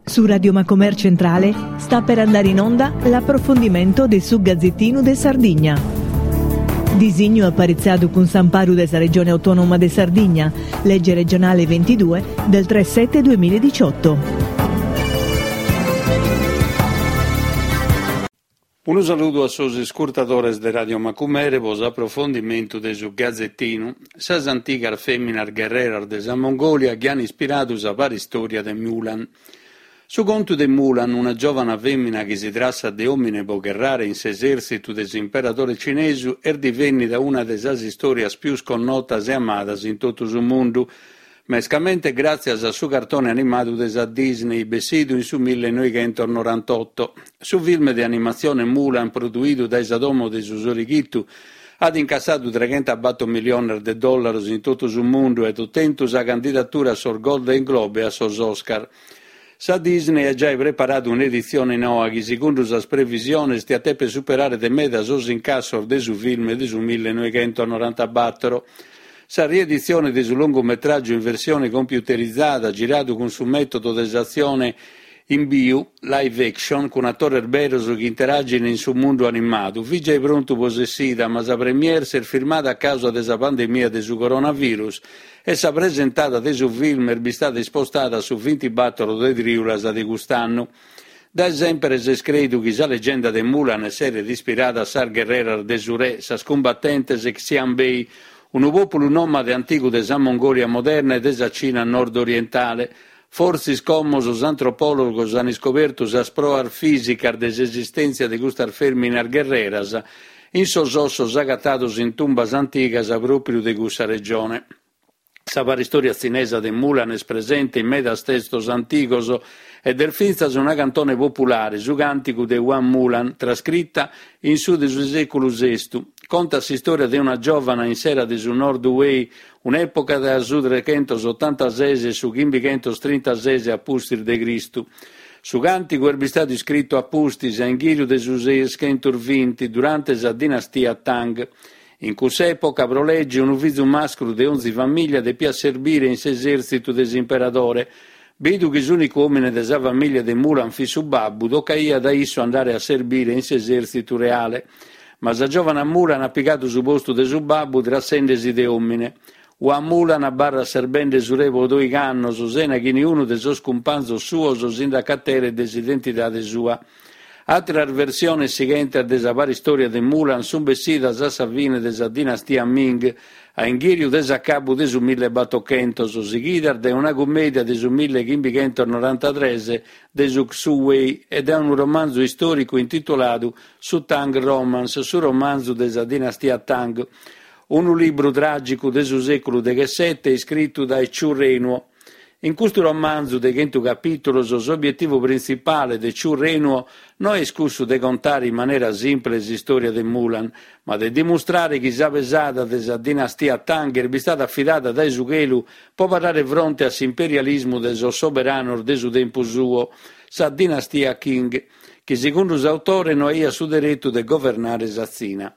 Su Radio Macomer Centrale sta per andare in onda l'approfondimento de su Gazzettinu de Sardigna. Disignu aparitziadu cun s'amparu de sa Regione Autonoma de Sardigna, Legge regionale 22 del 3 7 2018. Unu saludu a sos iscurtadores de Radio Macumere pro s'aprofondimentu de su Gazetinu, sas antigas fèminas gherreras de sa Mongòlia chi an ispiradu sa paristòria de Mulan. Su contu de Mulan, una giòvana fèmina chi si trassat de òmine pro gherrare in s'esèrtzitu de s'imperadore cinesu, est divènnida una de sas istòrias pius connotas e amadas in totu su mundu, Mescamente gràtzias a su cartone animadu de sa Disney bessidu in su millenoighentosnorantoto. Su film de animatzione Mulan produidu dae sa domo de su Sorighitu at incassadu treghentabator miliones de dòllaros in totu su mundu e at otentu sa candidatura a sos Golden Globe e a sos Oscar. Sa Disney at giai preparadu un'editzione noa chi, segundu sas previsiones, diat dèpere superare de meda sos incassos de su film de su millenoighentosnorantabator. Sa rieditzione de su longumetràgiu in versione computerizada, giradu cun su mètodu de s'atzione in biu, live action, cun atores beros chi interagin in su mundu animadu, fit giai prontu pro s'essida, ma sa première s'est firmada a càusa de sa pandemia de su coronavirus e sa presentada de su film est bistada ispostada a su bintibator de trìulas de cust'annu. Dae semper s'est crèidu chi sa legenda de Mulan esseret ispirada a sas gherreras de su re, sas cumbatentes Xianbei, unu pòpulu nòmade antigu de sa Mongòlia moderna e de sa Cina nord-orientale. Fortzis como sos antropòlogos an iscobertu sas proas fìsicas de s'esistèntzia de custas fèminas gherreras in sos ossos agatados in tumbas antigas pròpriu de cussa regione. Sa paristòria tzinesa de Mulan est presente in medas testos antigos ed est fintzas una cantone populare, su càntigu de Hua Mulan, trascrita in su de su sèculu sestu. Contat s'istòria de una giòvana in s'era de su Nord Wei, un'època tra su trechentosotantases e su chimbichentostrintàses a pustis de Cristu. Su càntigu est bistadu iscritu a pustis, a inghìriu de su seischentosbinti, durante sa dinastia Tang. In cuss'època, pro lege, unu fizu mascru de onzi famìllia depiat serbire in s'esèrtzitu de s'imperadore. Bidu chi s'ùnicu òmine de sa famìllia de Mulan fit su babbu, tocaiat a issu andare a serbire in s'esèrtzitu reale. Ma sa giòvana Mulan at pigadu su postu de su babbu trassende-si de òmine. Hua Mulan abarrat serbende su re pro doigh'annos, sena chi niunu de sos cumpanzos suos si nd'acateret de s'identidade sua. Àteras versiones sighentes de sa paristòria de Mulan sunt bessidas a sa fine de sa dinastia Ming, a inghìriu de s'acabu de su millebatochentos, sighidas dae una cummèdia de su millechimbichentos-norantatres de su Xu Wei e dae unu romanzu istòricu intituladu Su Tang Romance, su romanzu de sa dinastia Tang, unu libru tràgicu de su sèculu deghessete iscritu dae Chu Renuo. In custu romanzu de chentu capìtulos s'obietivu printzipale de Chu Renuo no est cussu de contare in manera simple s'istòria de Mulan, ma de dimustrare chi sa pesada de sa dinastia Tang est bistada afidada dae su chelu pro parare fronte a s'imperialismu de sos soberanos de su tempus suo, sa dinastia Qing, chi segundu s'autore no aiat su deretu de governare sa Tzina.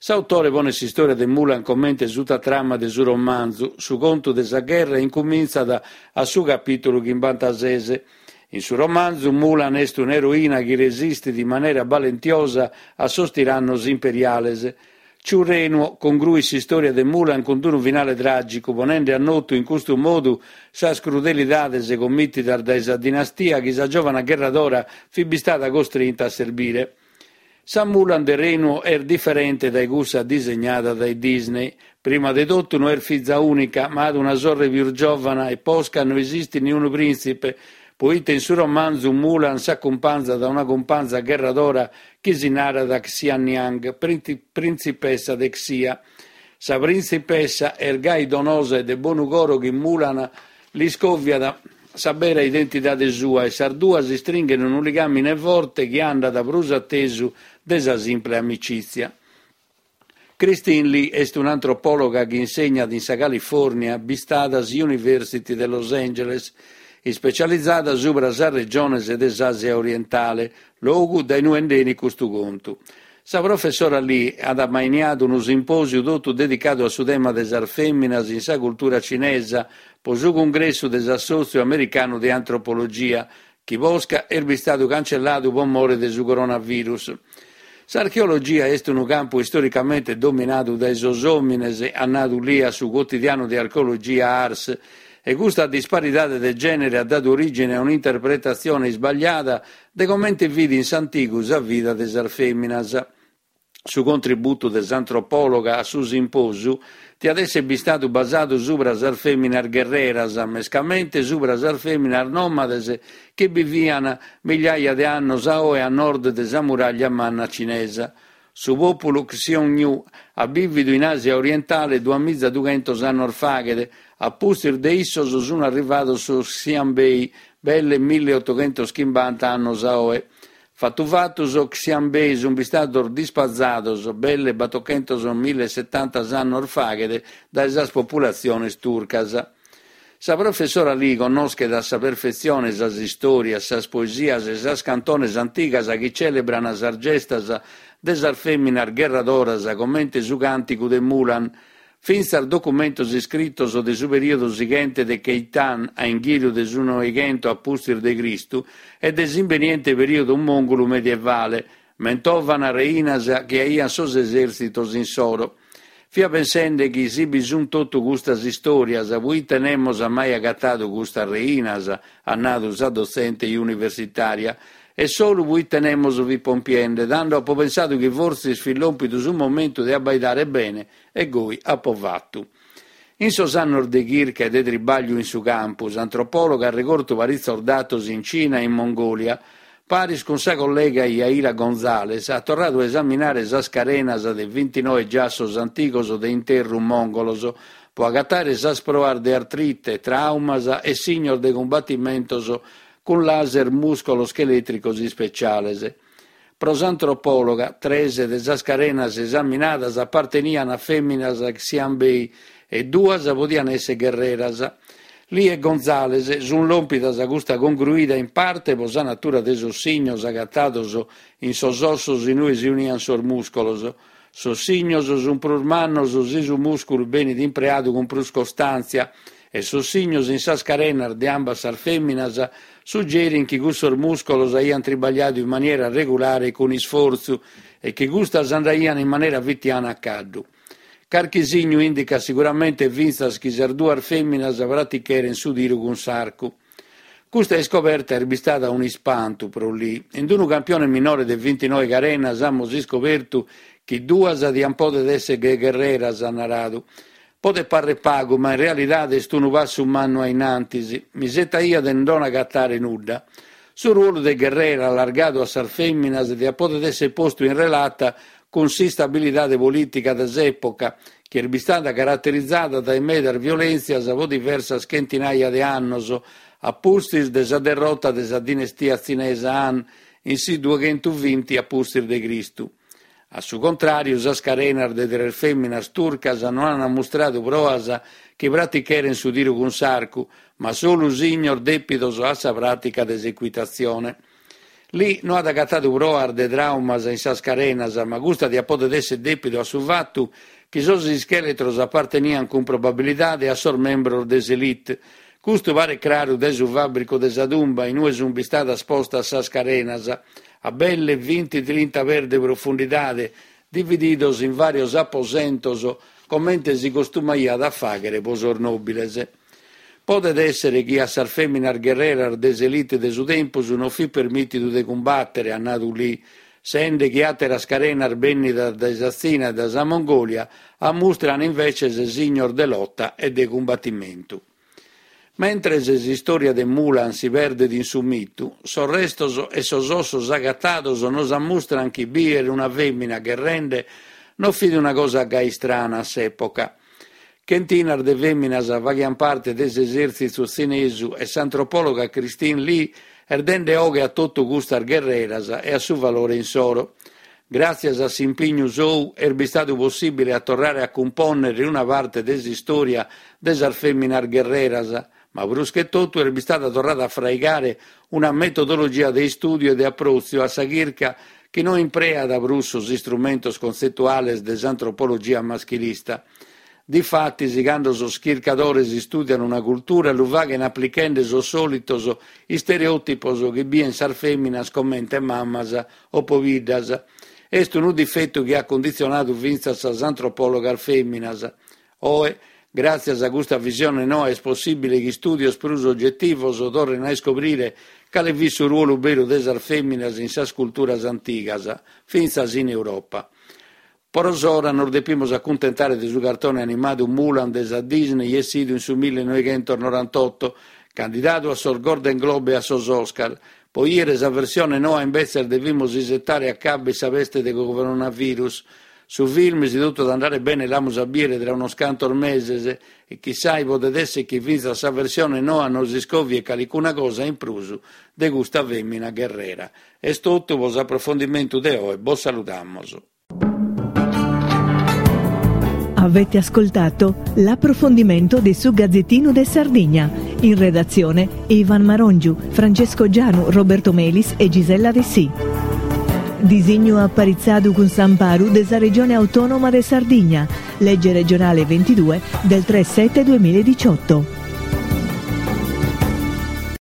S'autore ponet s'istòria de Mulan comente sutatrama de su romanzu, su contu de sa gherra incumintzat a su capìtulu chimbantases. In su romanzu Mulan est un'eroina chi resistit in manera balentiosa a sos tirannos imperiales. Chu Renuo congruit s'istòria de Mulan cun unu finale tràgicu, ponende a notu in custu modu sas crudelidades commìtidas dae sa dinastia chi sa giòvana gherradora fit bistada costrinta a serbire. Sa Mulan de Renuo est diferente dae cussa disegnada dae Disney. Prima de totu no est fiza ùnica, ma at una sorre pius giòvana e posca no esistit niunu prìntzipe, poite in su romanzu Mulan s'acumpanzat a una cumpanza gherradora chi si narat Xianniang, printzipessa de Xia. Sa printzipessa est gai donosa e de bonu coro chi Mulan L'iscòviat sa bera identidade sua e sas duas istringhen unu ligàmine forte chi andat prus a tesu de sa simple amicìtzia. Christine Lee est un'antropòloga chi insegnat in sa California bistada University de Los Angeles, ispecializada subra sas regiones de s'Àsia orientale, logu dae inue nd'enit custu contu. Sa professora Lee at ammainiadu unu simpòsiu totu dedicadu a su tema de sas fèminas in sa cultura cinesa pro su cungressu de s'Assòtziu Americanu de Antropologia, chi posca est bistadu cancelladu pro more de su coronavirus. S'archeologia est unu campu istoricamente dominadu dae sos òmines, at nadu Li a su cuotidianu de archeologia Ars, e custa disparidade de gènere at dadu orìgine a un'interpretatzione isbagliada de comente fit in s'antigu sa vida de sas fèminas. Su contributu de s'antropòloga a su simpòsiu tiat èssere bistadu basadu subra sas fèminas gherreras, mescamente subra sas fèminas nòmades chi bivian migliaia de annos a oe a nord de sa muràglia manna cinesa. Su pòpulu Xiongnu at bìvidu in Àsia orientale duamizadughentos annos faghet, a pustis de issos sun arrivados sos Xianbei, belle milliotoghentochimbanta annos a oe. Fatu fatu sos Xianbei sunt bistados dispazados belle batochentos-millesetantas annos faghet dae sas populatziones turcas. Sa professora Li connoschet a sa perfetzione sas istòrias, sas poesias e sas cantones antigas chi cèlebran sas gestas de sas fèminas gherradoras comente su càntigu de Mulan, Fintzas documentos iscritos de su perìodu sighente de Khitan, a inghìriu de su Noighentos a pustis de Cristu, e de s'imbeniente perìodu mòngulu medievale, mentovan reinas chi aiant sos esèrtzitos insoro. Fia pensende chi si bi sunt totu custas istòrias, proite nemos at mai agatadu custas reinas, at nadu sa dotzente universitària. E solu proite nemos fit pompiende, tando apo pensadu chi fortzis fit lòmpidu su momentu de abbaidare bene E goi apo fatu. In sos annos de chirca e de tribagliu in su campu, s'antropòloga at regortu paritzos datos in Cina e in Mongòlia. Paris cun sa collega Yaira González at torradu a esaminare sas carenas de vintinoe giassos antigos de interru mòngolos pro agatare sas proas de artrite, tràumas e signos de cumbatimentos cun laser muscolo-schelètricos ispeciales. Pro s'antropòloga, tres de sas carenas esaminadas apartenian a fèminas Xianbei e duas podian èssere gherreras. Li e González sunt lòmpidas a custa congruida in parte pro sa natura de sos signos agatados in sos ossos in ue si unian sos mùscolos. Sos signos sunt prus mannos si su mùsculu benit impreadu cun prus costàntzia e sos signos in sas carenas de ambas sas fèminas sugerin chi cussos mùscolos aiant tribagliadu in maniera regulare e cun isfortzu e chi custas andaian in manera fitiana a caddu. Carchi signu indicat siguramente fintzas chi sas duas fèminas praticheren su tiru cun s'arcu. Custa iscoberta est bistada un'ispantu pro Li. In unu campione minore de vintinoe carenas amus iscobertu chi duas diant poder èssere gherreras, at naradu. Podet parrer pagu, ma in realidade est unu passu mannu a in antis. M'isetaia de non agatare nudda. Su ruolu de gherrera allargadu a sas fèminas diat poder èssere postu in relata cun s'instabilidade polìtica de s'època, chi est bistada caraterizada dae medas violèntzias pro diversas chentinaia de annos, a pustis de sa derrota de sa dinestia tzinesa Han in su dueghentuvinti a pustis de Cristu. A su contràriu, sas carenas de tres fèminas turcas no ant mustradu proas chi praticherent su tiru cun s'arcu, ma solu signos dèpidos a sa pràtica de s'ecuitatzione. Li no at agatadu proas de tràumas in sas carenas, ma custa diat poder èssere dèpidu a su fatu chi sos ischèletros aparteniant cun probabilidade a sos membros de s'elite. Custu paret craru dae su fàbricu de sa tumba in ue sunt bistadas postas sas carenas, a belle vinti-trinta pes de profundidade, divididos in vàrios aposentos comente si costumaiat a fàghere pro sos nòbiles. Podet èssere chi a sas fèminas gherreras de s'elite de su tempus non fit permìtidu de cumbàtere, at nadu Li, sende chi àteras carenas bènnidas dae sa Tzina e dae sa Mongòlia ammustran inveces signos de lota e de cumbatimentu. Mentres s'istòria de Mulan si perdet in su mitu, sos restos e sos ossos agatados nos ammustran chi bìdere una fèmina gherrende non fit una cosa gai istrana a s'època. Chentinas de fèminas faghiant parte de s'esèrtzitu tzinesu e s'antropòloga Christine Li est dende 'oghe a totu custas gherreras e a su valore insoro. Gràtzias a s'impignu sou est bistadu possìbile a torrare a cumpònnere una parte de s'istòria de sas fèminas gherreras, ma prus che totu est bistada torrada a fraigare una metodologia de istùdiu e de apròtziu a sa chirca chi no impreat prus sos istrumentos contzetuales de s'antropologia maschilista. Difatis, cando sos chircadores istùdian una cultura lu faghen aplichende sos sòlitos istereòtipos chi bien sas fèminas comente mamas o pobiddas. Est unu difetu chi at cunditzionadu fintzas sas antropòlogas fèminas. Oe, gràtzias a custa visione noa est possìbile chi istùdios prus ogetivos torren a iscobrire cale fit su ruolu beru de sas fèminas in sas culturas antigas, fintzas in Europa. Pro s'ora nos depimus acuntentare de su cartone animadu Mulan de sa Disney essidu in su millenoighentosnorantoto, candidadu a sos Golden Globe e a sos Oscar. Pro 'iere sa versione noa imbetzes devimus isetare acabbet sa peste de coronavirus. Su film, si totu at a andare bene l'amus a biere tra unos cantos meses e chissai podet esser chi fintzas sa versione noa nos iscòviet calicuna cosa in prus de custa fèmina gherrera. Est totu pro s'aprofondimentu de oe, bos saludamos. Avete ascoltato l'approfondimento di Su Gazzettino de Sardigna. In redazione Ivan Marongiu, Francesco Gianu, Roberto Melis e Gisella Dessì. Disignu aparitzadu cun s'amparu de sa Regione Autonoma de Sardigna, legge regionale 22 del 3 7 2018.